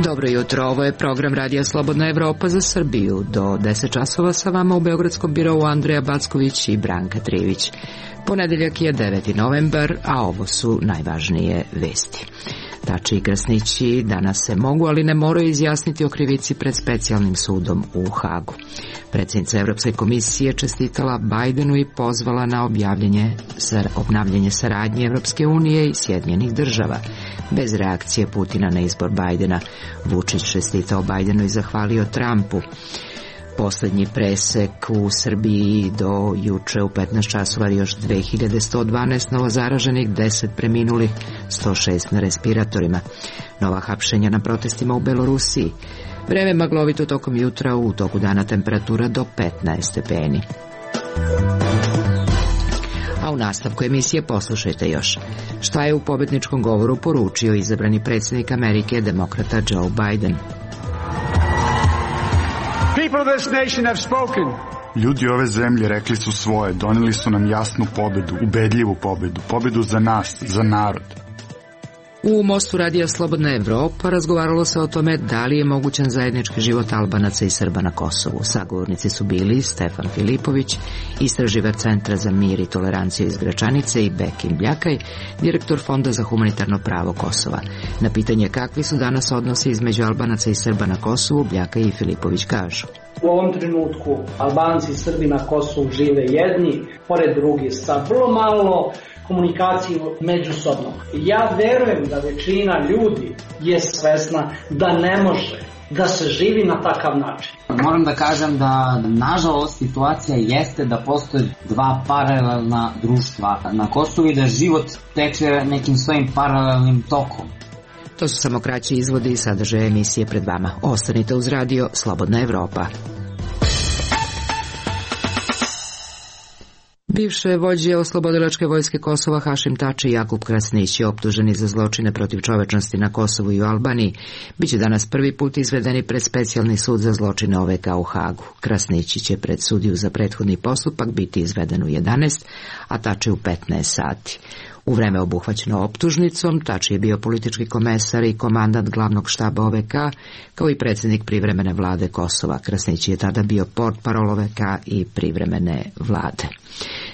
Dobro jutro, ovo je program Radija Slobodna Evropa za Srbiju. Do 10 časova sa vama u Beogradskom birovu Andreja Backović i Branka Trivić. Ponedeljak je 9. novembar, a ovo su najvažnije vesti. Tači i Krasnići danas se mogu, ali ne moraju izjasniti o krivici pred specijalnim sudom u Hagu. Predsjednica Evropske komisije čestitala Bajdenu i pozvala na obnavljanje saradnje Evropske unije i Sjedinjenih država. Bez reakcije Putina na izbor Bajdena, Vučić čestitao Bajdenu i zahvalio Trumpu. Poslednji presek u Srbiji do juče u 15 časova još 2112 novozaraženih, 10 preminulih, 106 na respiratorima. Nova hapšenja na protestima u Belorusiji. Vreme maglovito tokom jutra, u toku dana temperatura do 15 stepeni. A u nastavku emisije poslušajte još. Šta je u pobedničkom govoru poručio izabrani predsjednik Amerike, demokrata Joe Biden? Ljudi ove zemlje rekli su svoje, doneli su nam jasnu pobedu, ubedljivu pobedu, pobedu za nas, za narod. U mostu Radija Slobodna Evropa razgovaralo se o tome da li je mogućan zajednički život Albanaca i Srba na Kosovu. Sagovornici su bili Stefan Filipović, istraživač Centra za mir i toleranciju iz Gračanice, i Bekim Bljakaj, direktor Fonda za humanitarno pravo Kosova. Na pitanje kakvi su danas odnosi između Albanaca i Srba na Kosovu, Bljakaj i Filipović kažu: U ovom trenutku Albanci i Srbi na Kosovu žive jedni pored drugih sa vrlo malo komunikaciju međusobno. Ja verujem da većina ljudi je svesna da ne može da se živi na takav način. Moram da kažem da nažalost situacija jeste da postoje dva paralelna društva na Kosovu i da život teče nekim svojim paralelnim tokom. To su samo kraći izvodi i sadržaje emisije pred vama. Ostanite uz radio Slobodna Evropa. Bivše vođe oslobodilačke vojske Kosova Hašim Tači i Jakub Krasnić, optuženi za zločine protiv čovečnosti na Kosovu i u Albaniji, biće danas prvi put izvedeni pred specijalni sud za zločine OVK u Hagu. Krasnić će pred sudiju za prethodni postupak biti izveden u 11, a Tači u 15 sati. U vreme obuhvaćeno optužnicom, Tači je bio politički komesar i komandant glavnog štaba OVK, kao i predsjednik privremene vlade Kosova. Krasnić je tada bio portparol OVK i privremene vlade.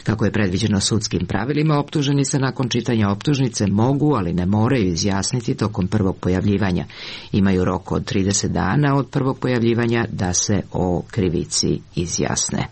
Kako je predviđeno sudskim pravilima, optuženi se nakon čitanja optužnice mogu, ali ne moraju izjasniti tokom prvog pojavljivanja. Imaju rok od 30 dana od prvog pojavljivanja da se o krivici izjasne.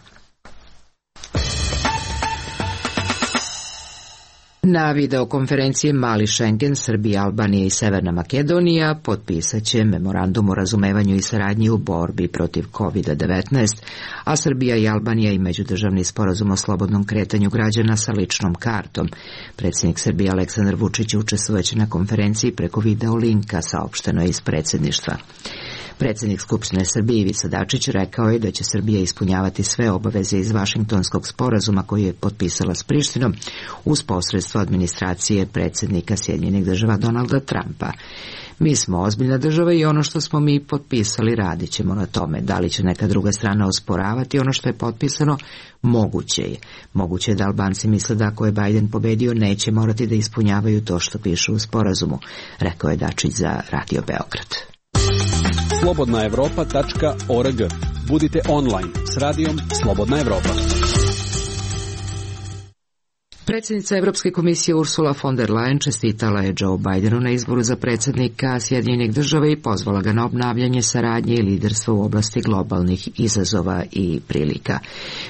Na videokonferenciji Mali Schengen, Srbija, Albanija i Severna Makedonija potpisat će memorandum o razumevanju i saradnji u borbi protiv COVID-19, a Srbija i Albanija i međudržavni sporazum o slobodnom kretanju građana sa ličnom kartom. Predsjednik Srbije Aleksandar Vučić učestvovaće na konferenciji preko video linka, saopšteno je iz predsjedništva. Predsjednik Skupštine Srbije Ivica Dačić rekao je da će Srbija ispunjavati sve obaveze iz Vašingtonskog sporazuma koji je potpisala s Prištinom uz posredstvo administracije predsjednika Sjedinjenih država Donalda Trumpa. Mi smo ozbiljna država i ono što smo mi potpisali radit ćemo na tome. Da li će neka druga strana osporavati ono što je potpisano? Moguće je. Moguće je da Albanci misle da ako je Biden pobedio neće morati da ispunjavaju to što piše u sporazumu, rekao je Dačić za Radio Beograd. slobodnaevropa.org. Budite online s radijom Slobodna Evropa. Predsjednica Evropske komisije Ursula von der Leyen čestitala je Joe Bidenu na izboru za predsjednika Sjedinjenih država i pozvala ga na obnavljanje saradnje i liderstva u oblasti globalnih izazova i prilika.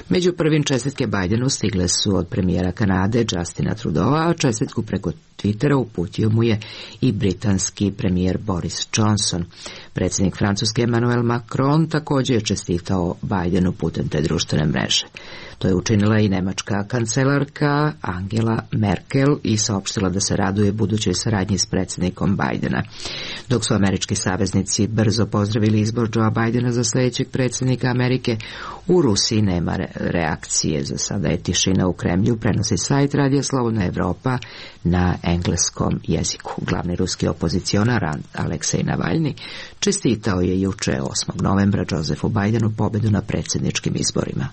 Među prvim čestitke Bidenu stigle su od premijera Kanade Justina Trudeau, a čestitku preko Twittera uputio mu je i britanski premijer Boris Johnson. Predsjednik Francuske Emmanuel Macron također je čestitao Bidenu putem te društvene mreže. To je učinila i nemačka kancelarka Angela Merkel i saopštila da se raduje budućoj saradnji s predsjednikom Bidena. Dok su američki saveznici brzo pozdravili izbor Joea Bidena za sljedećeg predsjednika Amerike, u Rusiji nema reakcije. Za sada je tišina u Kremlju, prenosi sajt Radija Slobodna Evropa na engleskom jeziku. Glavni ruski opozicionar Aleksej Navalni čestitao je juče 8. novembra Josefu Bidenu pobedu na predsjedničkim izborima.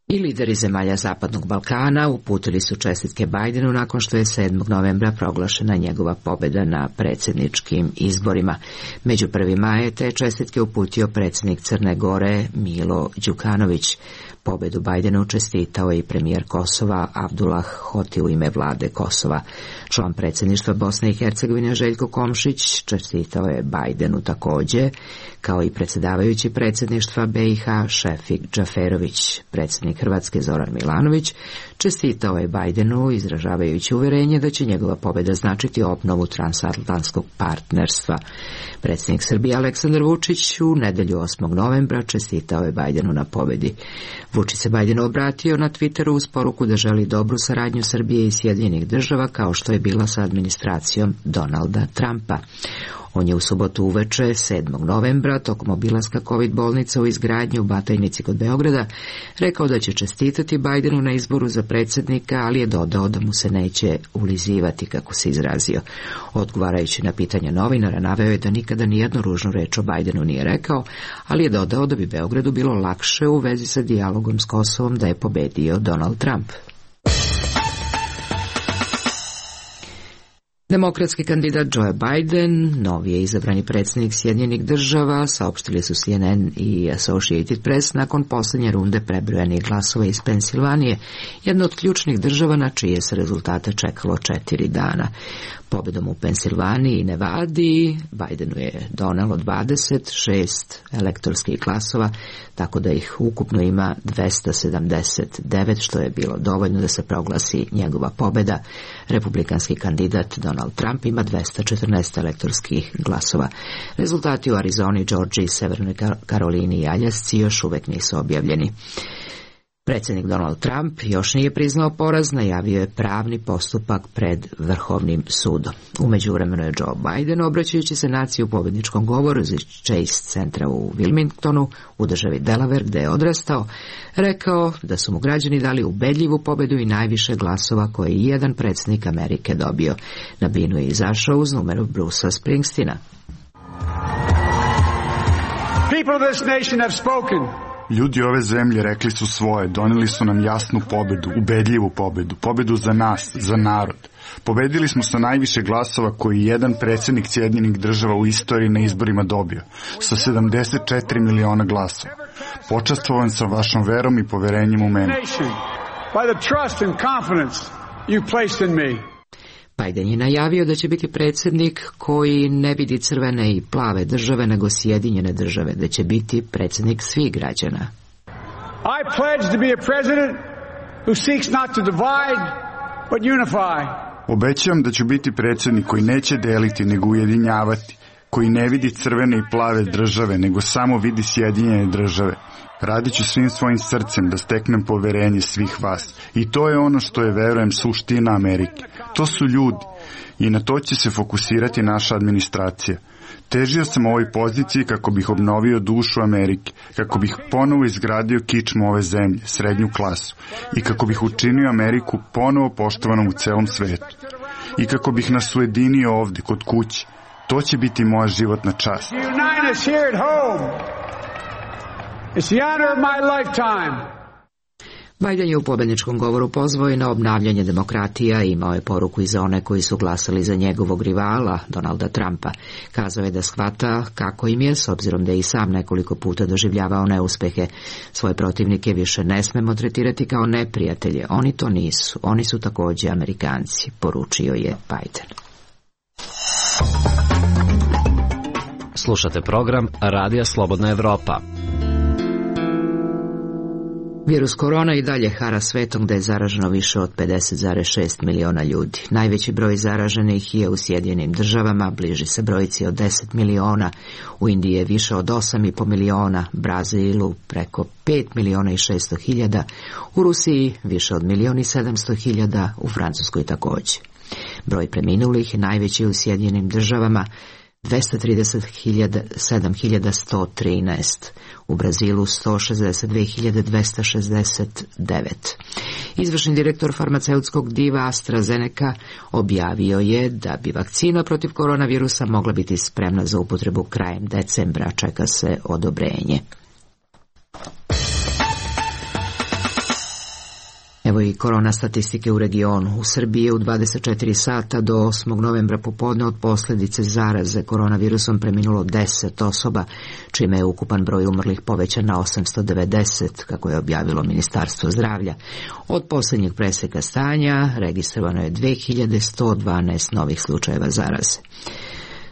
I lideri zemalja Zapadnog Balkana uputili su čestitke Bidenu nakon što je 7. novembra proglašena njegova pobjeda na predsjedničkim izborima. Među prvima je te čestitke uputio predsjednik Crne Gore Milo Đukanović. Pobjedu Bidenu čestitao i premijer Kosova Abdullah Hoti u ime vlade Kosova. Član predsjedništva Bosne i Hercegovine Željko Komšić čestitao je Bidenu također, kao i predsjedavajući predsjedništva BiH Šefik Džaferović. Predsjednik Hrvatske Zoran Milanović čestitao je Bidenu izražavajući uvjerenje da će njegova pobjeda značiti obnovu transatlantskog partnerstva. Predsjednik Srbije Aleksandar Vučić u nedjelju 8. novembra čestitao je Bidenu na pobjedi. Vučić se Bidenu obratio na Twitteru uz poruku da želi dobru saradnju Srbije i Sjedinjenih Država kao što je bila sa administracijom Donalda Trumpa. On je u subotu uveče 7. novembra tokom obilaska COVID bolnica u izgradnji u Batajnici kod Beograda rekao da će čestitati Bidenu na izboru za predsjednika, ali je dodao da mu se neće ulizivati, kako se izrazio. Odgovarajući na pitanja novinara, naveo je da nikada nijednu ružnu reč o Bidenu nije rekao, ali je dodao da bi Beogradu bilo lakše u vezi sa dijalogom s Kosovom da je pobedio Donald Trump. Demokratski kandidat Joe Biden, novi je izabrani predsjednik Sjedinjenih Država, saopštili su CNN i Associated Press nakon posljednje runde prebrojanih glasova iz Pensilvanije, jedna od ključnih država na čije se rezultate čekalo 4 dana. Pobjedom u Pensilvaniji i Nevadi Bidenu je donelo 26 elektorskih glasova, tako da ih ukupno ima 279, što je bilo dovoljno da se proglasi njegova pobjeda. Republikanski kandidat Donald Trump ima 214 elektorskih glasova. Rezultati u Arizoni, Georgiji, Severnoj Karolini i Aljasci još uvijek nisu objavljeni. Predsjednik Donald Trump još nije priznao poraz, najavio je pravni postupak pred Vrhovnim sudom. U međuvremenu je Joe Biden, obraćajući se naciji u pobjedničkom govoru iz Chase centra u Wilmingtonu, u državi Delaware gdje je odrastao, rekao da su mu građani dali ubedljivu pobjedu i najviše glasova koje je jedan predsjednik Amerike dobio. Na binu je izašao uz numeru Brucea Springsteena. People of this nation have spoken. Ljudi ove zemlje rekli su svoje, donijeli su nam jasnu pobedu, ubedljivu pobedu, pobedu za nas, za narod. Pobedili smo sa najviše glasova koji jedan predsjednik Sjedinjenih Država u istoriji na izborima dobio, sa 74 miliona glasova. Počastvovan sam vašom verom i poverenjem u mene. Biden je najavio da će biti predsjednik koji ne vidi crvene i plave države, nego Sjedinjene Države, da će biti predsjednik svih građana. I pledge to be a president who seeks not to divide, but unify. Obećavam da ću biti predsjednik koji neće deliti, nego ujedinjavati, koji ne vidi crvene i plave države, nego samo vidi Sjedinjene Države. Radit ću svim svojim srcem da steknem poverenje svih vas. I to je ono što je, verujem, suština Amerike. To su ljudi. I na to će se fokusirati naša administracija. Težio sam ovoj poziciji kako bih obnovio dušu Amerike, kako bih ponovo izgradio kičmu ove zemlje, srednju klasu, i kako bih učinio Ameriku ponovo poštovanom u celom svetu. I kako bih nas ujedinio ovdje, kod kuće. To će biti moja životna čast. It's the honor of my lifetime. Biden je u pobjedničkom govoru pozvao i na obnavljanje demokratija i imao je poruku i za one koji su glasali za njegovog rivala, Donalda Trumpa. Kazao je da shvata kako im je, s obzirom da je i sam nekoliko puta doživljavao neuspehe. Svoje protivnike više ne smemo tretirati kao neprijatelje. Oni to nisu. Oni su također Amerikanci, poručio je Biden. Slušate program Radija Slobodna Evropa. Virus korona i dalje hara svetom gdje je zaraženo više od 50,6 miliona ljudi. Najveći broj zaraženih je u Sjedinjenim Državama, bliži se brojci od 10 miliona, u Indiji je više od 8,5 miliona, Brazilu preko 5 miliona i 600 hiljada, u Rusiji više od 1,7 miliona, u Francuskoj također. Broj preminulih je najveći u Sjedinjenim Državama, 237.113, u Brazilu 162.269. Izvršni direktor farmaceutskog diva AstraZeneca objavio je da bi vakcina protiv koronavirusa mogla biti spremna za upotrebu krajem decembra, čeka se odobrenje. Evo i korona statistike u regionu. U Srbiji je u 24 sata do 8. novembra popodne od posljedice zaraze koronavirusom preminulo 10 osoba, čime je ukupan broj umrlih povećan na 890, kako je objavilo Ministarstvo zdravlja. Od posljednjeg preseka stanja registrovano je 2112 novih slučajeva zaraze.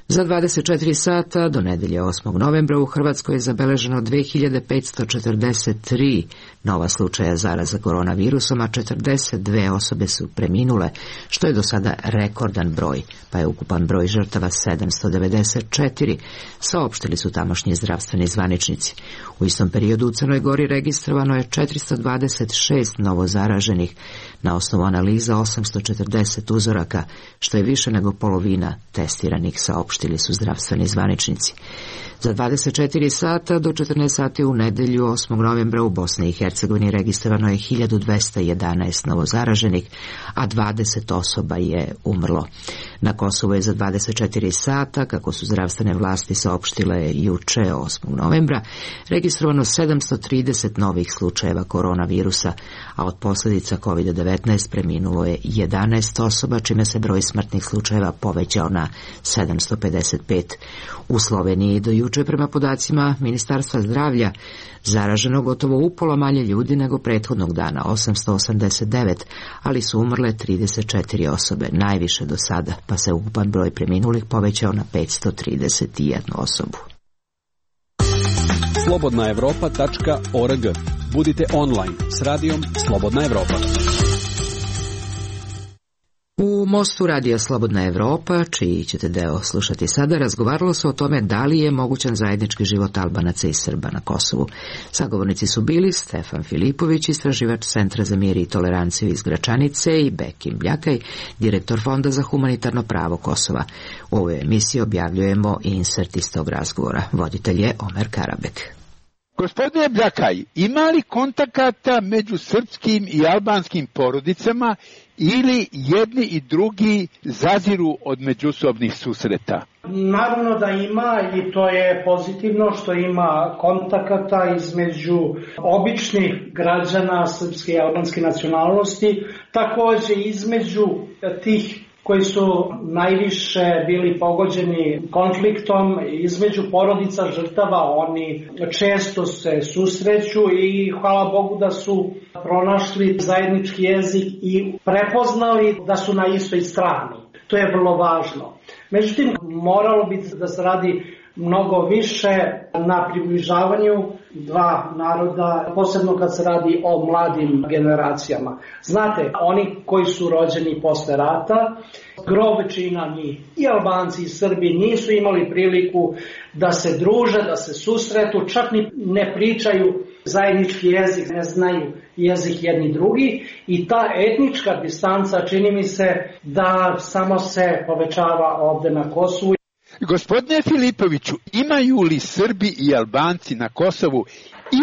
Za 24 sata do nedelje 8. novembra u Hrvatskoj je zabeleženo 2543 nova slučaja zaraza koronavirusom, a 42 osobe su preminule, što je do sada rekordan broj, pa je ukupan broj žrtava 794, saopštili su tamošnji zdravstveni zvaničnici. U istom periodu u Crnoj Gori registrovano je 426 novo zaraženih, na osnovu analiza 840 uzoraka, što je više nego polovina testiranih, saopštili su zdravstveni zvaničnici. Za 24 sata do 14 sati u nedelju 8. novembra u Bosni i Hercegovini registrovano je 1211 novozaraženih, a 20 osoba je umrlo. Na Kosovu je za 24 sata, kako su zdravstvene vlasti saopštile juče 8. novembra, registrovano 730 novih slučajeva koronavirusa, a od posljedica COVID-19 preminulo je 11 osoba, čime se broj smrtnih slučajeva povećao na 755. U Sloveniji do juče prema podacima Ministarstva zdravlja zaraženo gotovo upola manje ljudi nego prethodnog dana, 889, ali su umrle 34 osobe, najviše do sada, pa se ukupan broj preminulih povećao na 531 osobu. slobodnaevropa.org. Budite online s radijom Slobodna Evropa. U Mostu radija Slobodna Evropa, čiji ćete deo slušati sada, razgovaralo se o tome da li je mogućan zajednički život Albanaca i Srba na Kosovu. Sagovornici su bili Stefan Filipović, istraživač Centra za mir i toleranciju iz Gračanice, i Bekim Bljakaj, direktor Fonda za humanitarno pravo Kosova. U ovoj emisiji objavljujemo insert iz tog razgovora. Voditelj je Omer Karabek. Gospodine Bljakaj, ima li kontakata među srpskim i albanskim porodicama ili jedni i drugi zaziru od međusobnih susreta? Naravno da ima, i to je pozitivno što ima kontakata između običnih građana srpske i albanske nacionalnosti, također između tih koji su najviše bili pogođeni konfliktom, između porodica žrtava. Oni često se susreću i hvala Bogu da su pronašli zajednički jezik i prepoznali da su na istoj strani. To je vrlo važno. Međutim, moralo bi da se radi mnogo više na približavanju dva naroda, posebno kad se radi o mladim generacijama. Znate, oni koji su rođeni posle rata, gro većina njih, i Albanci i Srbi, nisu imali priliku da se druže, da se susretu, čak ni ne pričaju zajednički jezik, ne znaju jezik jedni drugi, i ta etnička distanca, čini mi se, da samo se povećava ovde na Kosovu. Gospodine Filipoviću, imaju li Srbi i Albanci na Kosovu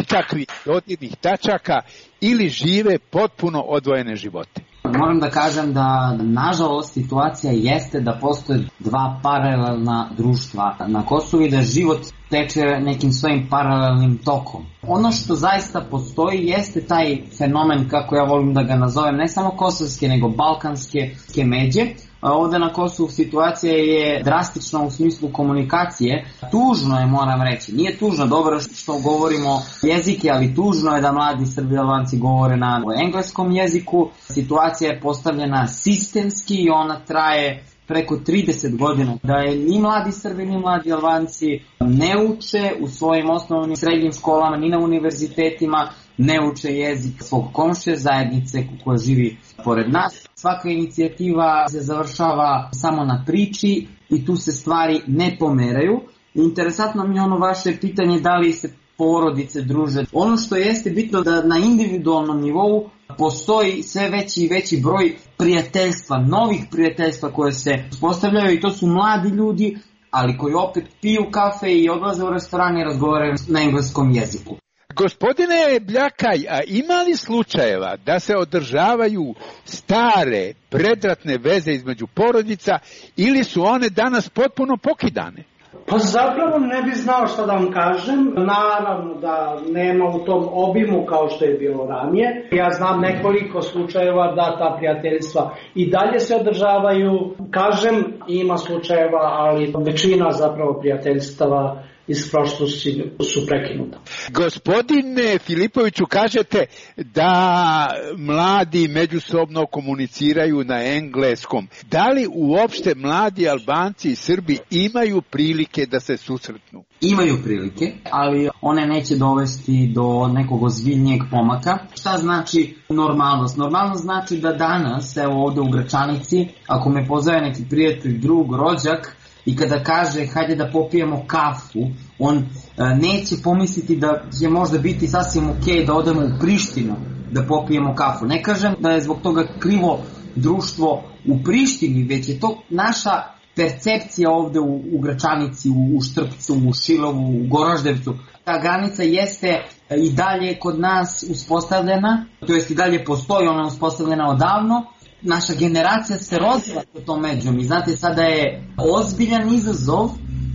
ikakvih dodirnih tačaka ili žive potpuno odvojene živote? Moram da kažem da, nažalost, situacija jeste da postoje dva paralelna društva na Kosovu i da život teče nekim svojim paralelnim tokom. Ono što zaista postoji jeste taj fenomen, kako ja volim da ga nazovem, ne samo kosovske, nego balkanske međe. Ovde na Kosovu situacija je drastična u smislu komunikacije. Tužno je, moram reći. Nije tužno, dobro što govorimo jezike, ali tužno je da mladi Srbi i Albanci govore na engleskom jeziku. Situacija je postavljena sistemski i ona traje preko 30 godina. Da je ni mladi Srbi ni mladi Albanci ne uče u svojim osnovnim srednjim školama, ni na univerzitetima, ne uče jezik svog komšije, zajednice koja živi pored nas. Svaka inicijativa se završava samo na priči i tu se stvari ne pomeraju. Interesantno mi je ono vaše pitanje da li se porodice druže. Ono što jeste bitno da na individualnom nivou postoji sve veći i veći broj prijateljstva, novih prijateljstva koje se uspostavljaju, i to su mladi ljudi ali koji opet piju kafe i odlaze u restoran i razgovaraju na engleskom jeziku. Gospodine Bljakaj, a ima li slučajeva da se održavaju stare, predratne veze između porodica ili su one danas potpuno pokidane? Pa zapravo ne bi znao šta da vam kažem. Naravno da nema u tom obimu kao što je bilo ranije. Ja znam nekoliko slučajeva da ta prijateljstva i dalje se održavaju. Kažem, ima slučajeva, ali većina zapravo prijateljstava iz prošlosti su prekinuta. Gospodine Filipoviću, kažete da mladi međusobno komuniciraju na engleskom. Da li uopšte mladi Albanci i Srbi imaju prilike da se susretnu? Imaju prilike, ali one neće dovesti do nekog ozbiljnijeg pomaka. Šta znači normalnost? Normalnost znači da danas, evo ovde u Gračanici, ako me pozove neki prijatelj, drug, rođak, i kada kaže hajde da popijemo kafu, on neće pomisliti da će možda biti sasvim okej da odemo u Prištinu da popijemo kafu. Ne kažem da je zbog toga krivo društvo u Prištini, već je to naša percepcija ovde u Gračanici, u Štrpcu, u Šilovu, u Goraždevcu. Ta granica jeste i dalje kod nas uspostavljena, to jest i dalje postoji, ona je uspostavljena odavno. Naša generacija se rozvila po tom međom i znate, sada je ozbiljan izazov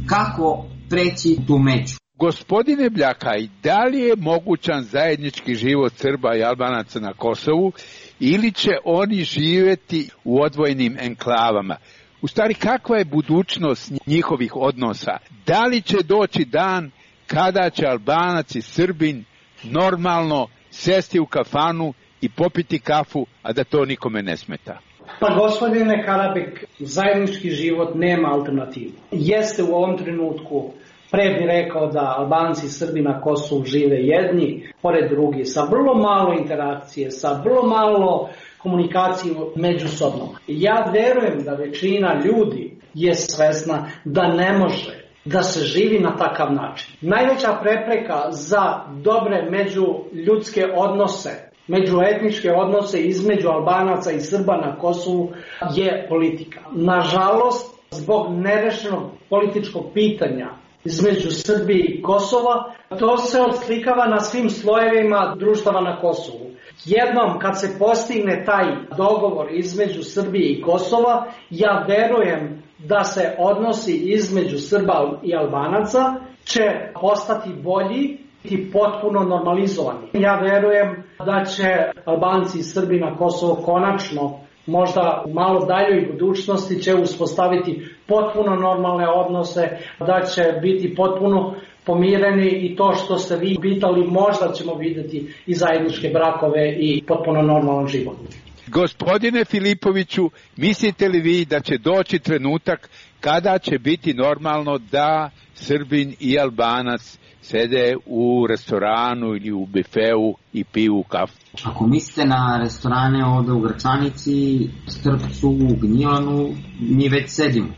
kako preći tu među. Gospodine Bljakaj, da li je mogućan zajednički život Srba i Albanaca na Kosovu ili će oni živjeti u odvojenim enklavama? U stvari, kakva je budućnost njihovih odnosa? Da li će doći dan kada će Albanac i Srbin normalno sesti u kafanu i popiti kafu, a da to nikome ne smeta? Pa gospodine Karabek, zajednički život nema alternativu. Jeste u ovom trenutku, pre bi rekao da Albanci i Srbi na Kosovu žive jedni, pored drugi, sa vrlo malo interakcije, sa vrlo malo komunikacije međusobno. Ja verujem da većina ljudi je svesna da ne može da se živi na takav način. Najveća prepreka za dobre međuljudske odnose, međuetničke odnose između Albanaca i Srba na Kosovu je politika. Nažalost, zbog nerešenog političkog pitanja između Srbije i Kosova, to se odslikava na svim slojevima društava na Kosovu. Jednom kad se postigne taj dogovor između Srbije i Kosova, ja verujem da se odnosi između Srba i Albanaca će postati bolji i potpuno normalizovani. Ja verujem da će Albanci i Srbi na Kosovo konačno, možda u malo daljoj budućnosti, će uspostaviti potpuno normalne odnose, da će biti potpuno pomireni i to što ste vi pitali, možda ćemo vidjeti i zajedničke brakove i potpuno normalan život. Gospodine Filipoviću, mislite li vi da će doći trenutak kada će biti normalno da Srbin i Albanac sede u restoranu ili u bifeu i piju kafu? Ako mislite na restorane ovde u Gračanici, Štrpcu, Gnjilanu, mi već sedimo.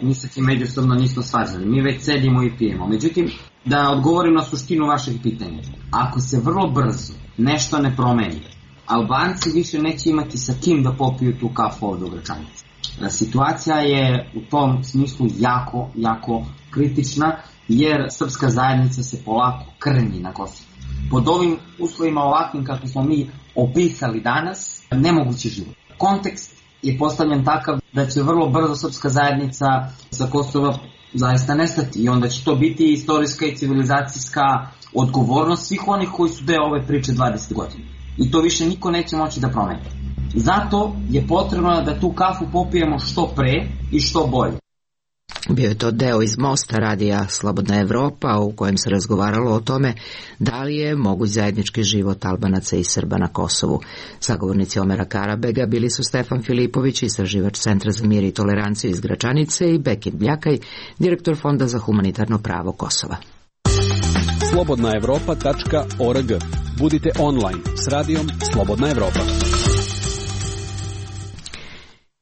Mi se ti međusobno nismo svađali. Mi već sedimo i pijemo. Međutim, da odgovorim na suštinu vašeg pitanja. Ako se vrlo brzo nešto ne promeni, Albanci više neće imati sa kim da popiju tu kafu ovde u Gračanici. Situacija je u tom smislu jako, jako kritična, jer srpska zajednica se polako krnji na Kosovu. Pod ovim uslovima ovakvim kako smo mi opisali danas, nemogući život. Kontekst je postavljen takav da će vrlo brzo srpska zajednica sa Kosova zaista nestati i onda će to biti istorijska i civilizacijska odgovornost svih onih koji su deo ove priče 20 godina. I to više niko neće moći da promeni. Zato je potrebno da tu kafu popijemo što pre i što bolje. Bio je to deo iz Mosta radija Slobodna Evropa u kojem se razgovaralo o tome da li je moguć zajednički život Albanaca i Srba na Kosovu. Sagovornici Omera Karabega bili su Stefan Filipović, istraživač Centra za mir i toleranciju iz Gračanice, i Bekim Bljakaj, direktor Fonda za humanitarno pravo Kosova. slobodnaevropa.org. Budite online s radijom Slobodna Evropa.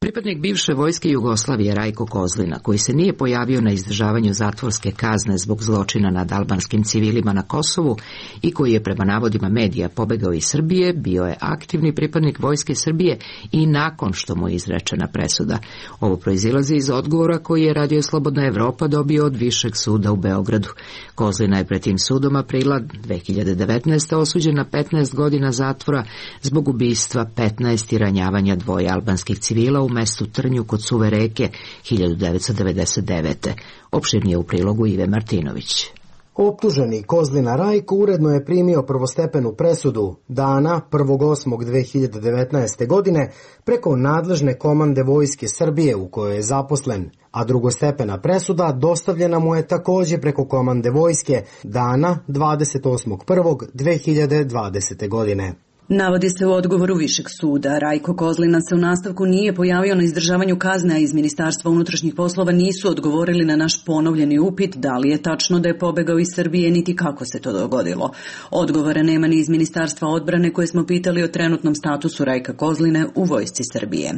Pripadnik bivše vojske Jugoslavije Rajko Kozlina, koji se nije pojavio na izdržavanju zatvorske kazne zbog zločina nad albanskim civilima na Kosovu i koji je prema navodima medija pobegao iz Srbije, bio je aktivni pripadnik vojske Srbije i nakon što mu je izrečena presuda. Ovo proizilazi iz odgovora koji je Radio Slobodna Evropa dobio od Višeg suda u Beogradu. Kozlina je pred tim sudom aprila 2019. osuđen na 15 godina zatvora zbog ubistva 15 i ranjavanja dvoje albanskih civila u mestu Trnju kod Suve reke 1999. Opširnije u prilogu Ive Martinović. Optuženi Kozlina Rajko uredno je primio prvostepenu presudu dana 1.8.2019. godine preko nadležne komande Vojske Srbije u kojoj je zaposlen, a drugostepena presuda dostavljena mu je takođe preko komande Vojske dana 28.1.2020. godine. Navodi se u odgovoru Višeg suda. Rajko Kozlina se u nastavku nije pojavio na izdržavanju kazne, a iz Ministarstva unutrašnjih poslova nisu odgovorili na naš ponovljeni upit da li je tačno da je pobegao iz Srbije, niti kako se to dogodilo. Odgovora nema ni iz Ministarstva odbrane koje smo pitali o trenutnom statusu Rajka Kozline u vojsci Srbije.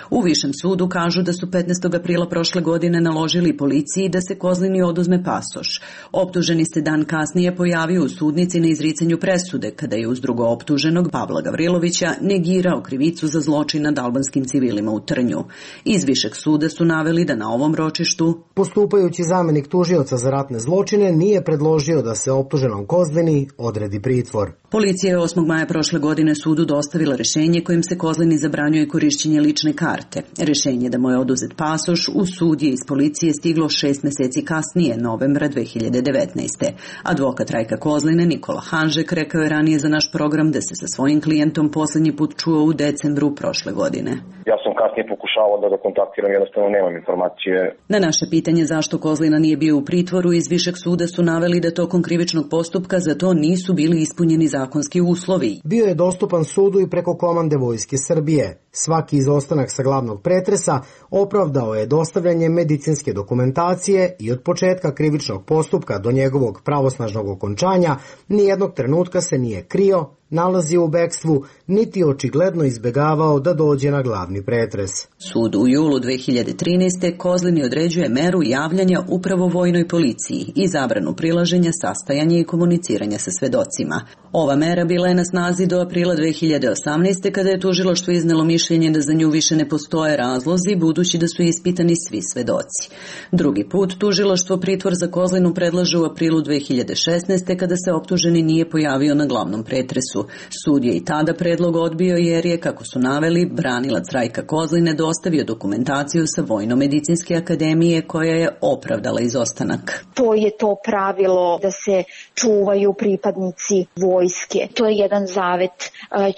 U Višem sudu kažu da su 15. aprila prošle godine naložili policiji da se Kozlini oduzme pasoš. Optuženi se dan kasnije pojavio u sudnici na izricanju presude, kada je uz drugo optuženog Pavla Gavrilovića negirao krivicu za zločin nad albanskim civilima u Trnju. Iz Višeg suda su naveli da na ovom ročištu postupajući zamenik tužioca za ratne zločine nije predložio da se optuženom Kozlini odredi pritvor. Policija je 8. maja prošle godine sudu dostavila rešenje kojim se Kozlini zabranjuje korišćenje lične karte. Rešenje da mu je oduzet pasoš u sud je iz policije stiglo 6 meseci kasnije, novembra 2019. Advokat Rajka Kozline Nikola Hanžek rekao je ranije za naš program da se sa svojim klijentom poslednji put čuo u decembru prošle godine. Ja sam kasnije pokušavao da ga kontaktiram, jednostavno nemam informacije. Na naše pitanje zašto Kozlina nije bio u pritvoru, iz Višeg suda su naveli da tokom krivičnog postupka za to nisu bili ispunjeni zakonski uslovi. Bio je dostupan sudu i preko komande Vojske Srbije. Svaki izostanak sa glavnog pretresa opravdao je dostavljanje medicinske dokumentacije i od početka krivičnog postupka do njegovog pravosnažnog okončanja nijednog trenutka se nije krio, nalazio u bekstvu, niti očigledno izbegavao da dođe na glavni pretres. Sud u julu 2013. Kozlini određuje meru javljanja upravo vojnoj policiji i zabranu prilaženja, sastajanja i komuniciranja sa svedocima. Ova mera bila je na snazi do aprila 2018. kada je tužilaštvo iznelo mišljenje da za nju više ne postoje razlozi, budući da su ispitani svi svedoci. Drugi put tužilaštvo pritvor za Kozlinu predlaže u aprilu 2016. kada se optuženi nije pojavio na glavnom pretresu. Sud je i tada predlog odbio jer je, kako su naveli, branilac Rajka Kozline dostavio dokumentaciju sa Vojno-medicinske akademije koja je opravdala izostanak. To je to pravilo da se čuvaju pripadnici vojske. To je jedan zavet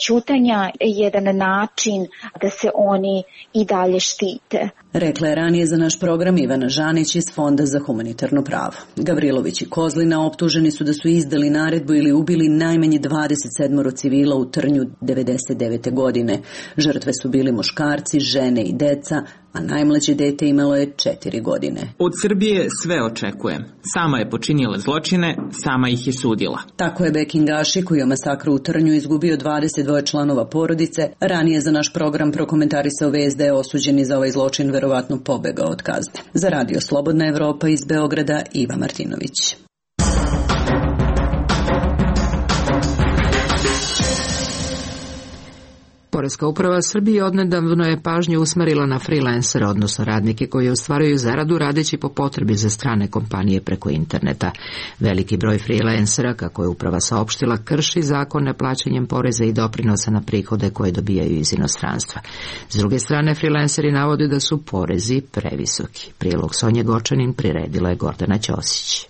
ćutanja, jedan način da se oni i dalje štite. Rekla je ranije za naš program Ivana Žanić iz Fonda za humanitarno pravo. Gavrilović i Kozlina optuženi su da su izdali naredbu ili ubili najmanje 27 civila u Trnju 1999. godine. Žrtve su bili muškarci, žene i deca, a najmlađe dete imalo je 4 godine. Od Srbije sve očekujem. Sama je počinila zločine, sama ih je sudila. Tako je Bekin Gaši, koji je masakru u Trnju izgubio 22 članova porodice, ranije za naš program prokomentarisao vest da je osuđeni za ovaj zločin verovatno pobegao od kazne. Za Radio Slobodna Evropa iz Beograda, Iva Martinović. Poreska uprava Srbije odnedavno je pažnju usmerila na freelancere, odnosno radnike koji ostvaruju zaradu radeći po potrebi za strane kompanije preko interneta. Veliki broj freelancera, kako je uprava saopštila, krši zakon neplaćanjem poreza i doprinosa na prihode koje dobijaju iz inostranstva. S druge strane, freelanceri navode da su porezi previsoki. Prilog Sonje Gočanin priredila je Gordana Ćosić.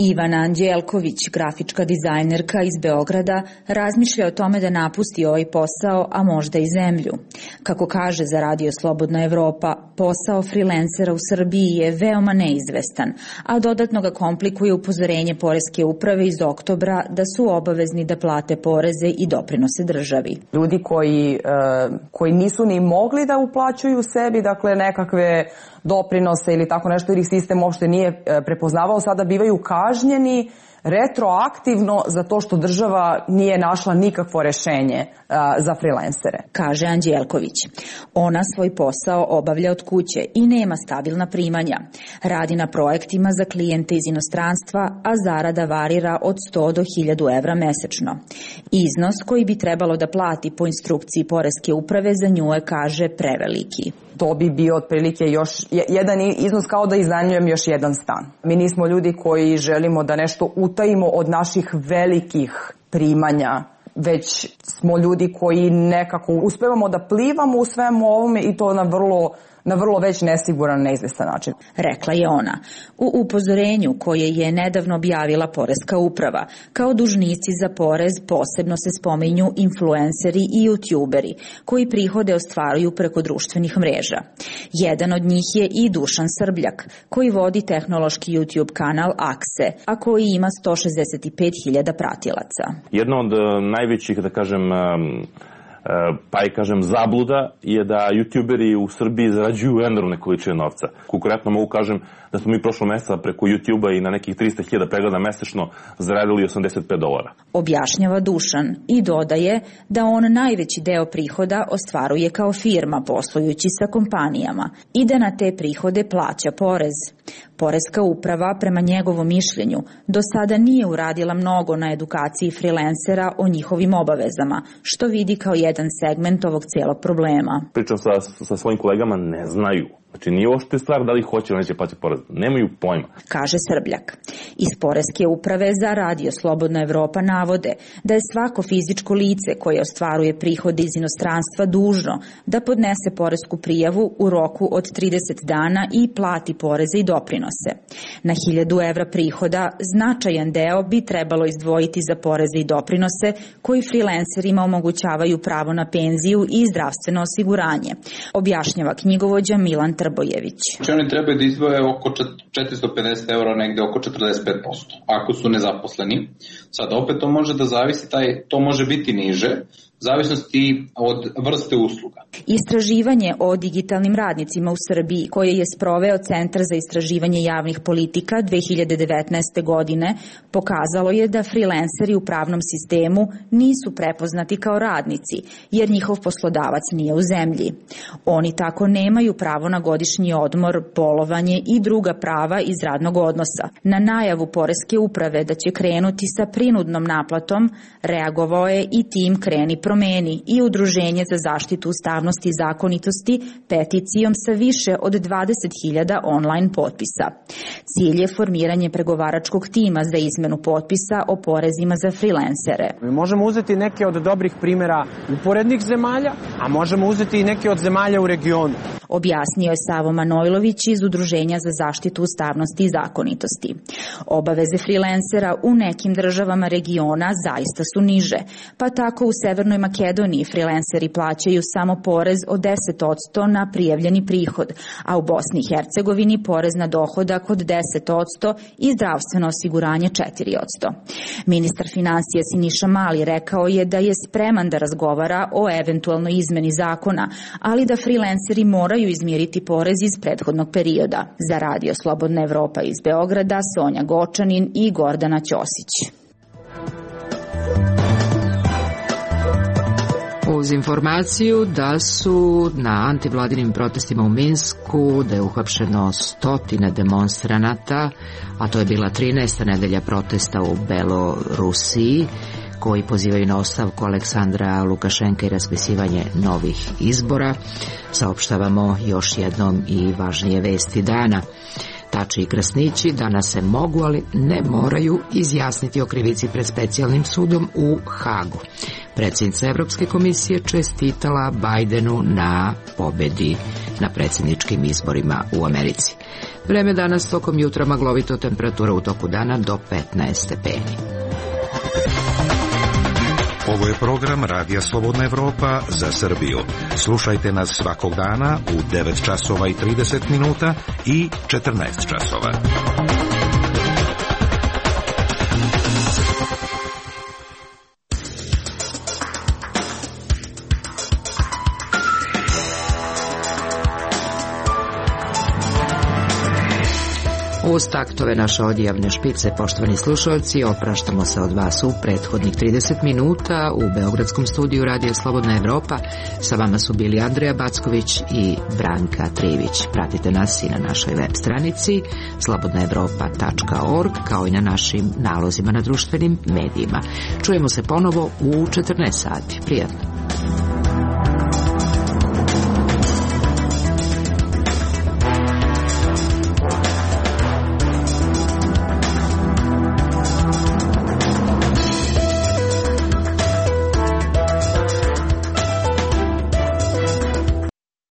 Ivana Anđelković, grafička dizajnerka iz Beograda, razmišlja o tome da napusti ovaj posao, a možda i zemlju. Kako kaže za Radio Slobodna Evropa, posao freelancera u Srbiji je veoma neizvestan, a dodatno ga komplikuje upozorenje Poreske uprave iz oktobra da su obavezni da plate poreze i doprinose državi. Ljudi koji nisu ni mogli da uplaćuju sebi, dakle nekakve doprinose ili tako nešto, jer ih sistem uopšte nije prepoznavao, sada bivaju kažnjeni retroaktivno zato što država nije našla nikakvo rešenje za freelancere. Kaže Anđelković. Ona svoj posao obavlja od kuće i nema stabilna primanja. Radi na projektima za klijente iz inostranstva, a zarada varira od 100 do 1000 evra mesečno. Iznos koji bi trebalo da plati po instrukciji Poreske uprave za nju je, kaže, preveliki. To bi bio otprilike još jedan iznos kao da iznajmljujem još jedan stan. Mi nismo ljudi koji želimo da nešto utajimo od naših velikih primanja, već smo ljudi koji nekako uspevamo da plivamo u svemu ovome i to na vrlo već nesiguran, neizvestan način. Rekla je ona. U upozorenju koje je nedavno objavila Poreska uprava, kao dužnici za porez posebno se spominju influenceri i youtuberi, koji prihode ostvaruju preko društvenih mreža. Jedan od njih je i Dušan Srbljak, koji vodi tehnološki YouTube kanal Akse, a koji ima 165.000 pratilaca. Jedna od najvećih, da kažem, zabluda je da youtuberi u Srbiji zarađuju enormne količine novca. Konkretno mogu kažem da smo mi prošlog meseca preko YouTube-a i na nekih 300.000 pregleda mesečno zaradili $85. Objašnjava Dušan i dodaje da on najveći deo prihoda ostvaruje kao firma poslujući sa kompanijama i da na te prihode plaća porez. Poreska uprava, prema njegovom mišljenju, do sada nije uradila mnogo na edukaciji freelancera o njihovim obavezama, što vidi kao jedan segment ovog cijelog problema. Pričam sa svojim kolegama, ne znaju. Znači nije ošte stvar da li hoće ili neće plaćati porez. Nemaju pojma. Kaže Srbljak. Iz Poreske uprave za Radio Slobodna Evropa navode da je svako fizičko lice koje ostvaruje prihode iz inostranstva dužno da podnese poresku prijavu u roku od 30 dana i plati poreze i doprinose. Na 1000 evra prihoda značajan deo bi trebalo izdvojiti za poreze i doprinose koji freelancerima omogućavaju pravo na penziju i zdravstveno osiguranje, objašnjava knjigovođa Milan Trbojević. Oni trebaju da izdvoje oko 450 eura, negde oko 45%, ako su nezaposleni. Sad opet to može da zavisi, to može biti niže, zavisnosti od vrste usluga. Istraživanje o digitalnim radnicima u Srbiji, koje je sproveo Centar za istraživanje javnih politika 2019. godine, pokazalo je da freelanceri u pravnom sistemu nisu prepoznati kao radnici, jer njihov poslodavac nije u zemlji. Oni tako nemaju pravo na godišnji odmor, bolovanje i druga prava iz radnog odnosa. Na najavu Poreske uprave da će krenuti sa prinudnom naplatom, reagovao je i tim Kreni promeni i Udruženje za zaštitu ustavnosti i zakonitosti peticijom sa više od 20.000 online potpisa. Cilj je formiranje pregovaračkog tima za izmenu potpisa o porezima za freelancere. Mi možemo uzeti neke od dobrih primjera uporednih zemalja, a možemo uzeti i neke od zemalja u regionu. Objasnio je Savo Manojlović iz Udruženja za zaštitu ustavnosti i zakonitosti. Obaveze freelancera u nekim državama regiona zaista su niže, pa tako u Severnoj Makedoniji freelanceri plaćaju samo porez od 10% na prijavljeni prihod, a u Bosni i Hercegovini porez na dohodak od 10% i zdravstveno osiguranje 4%. Ministar finansija Siniša Mali rekao je da je spreman da razgovara o eventualnoj izmeni zakona, ali da freelanceri moraju izmiriti porez iz prethodnog perioda. Za Radio Slobodna Evropa iz Beograda, Sonja Gočanin i Gordana Ćosić. Uz informaciju da su na antivladinim protestima u Minsku, da je uhapšeno 100 demonstranata, a to je bila 13. nedelja protesta u Belorusiji, koji pozivaju na ostavku Aleksandra Lukašenka i raspisivanje novih izbora. Saopštavamo još jednom i važnije vesti dana. Tači i Krasnići danas se mogu, ali ne moraju izjasniti o krivici pred specijalnim sudom u Hagu. Predsjednica Evropske komisije čestitala Bajdenu na pobedi na predsjedničkim izborima u Americi. Vreme danas tokom jutra maglovito, temperatura u toku dana do 15 stepeni. Ovo je program Radija Slobodna Evropa za Srbiju. Slušajte nas svakog dana u 9 časova i 30 minuta i 14 časova. Uz taktove naše odjavne špice, poštovani slušalci, opraštamo se od vas u prethodnih 30 minuta u Beogradskom studiju Radija Slobodna Evropa. Sa vama su bili Andreja Backović i Branka Trivić. Pratite nas i na našoj web stranici slobodnaevropa.org, kao i na našim nalozima na društvenim medijima. Čujemo se ponovo u 14 sati. Prijatno.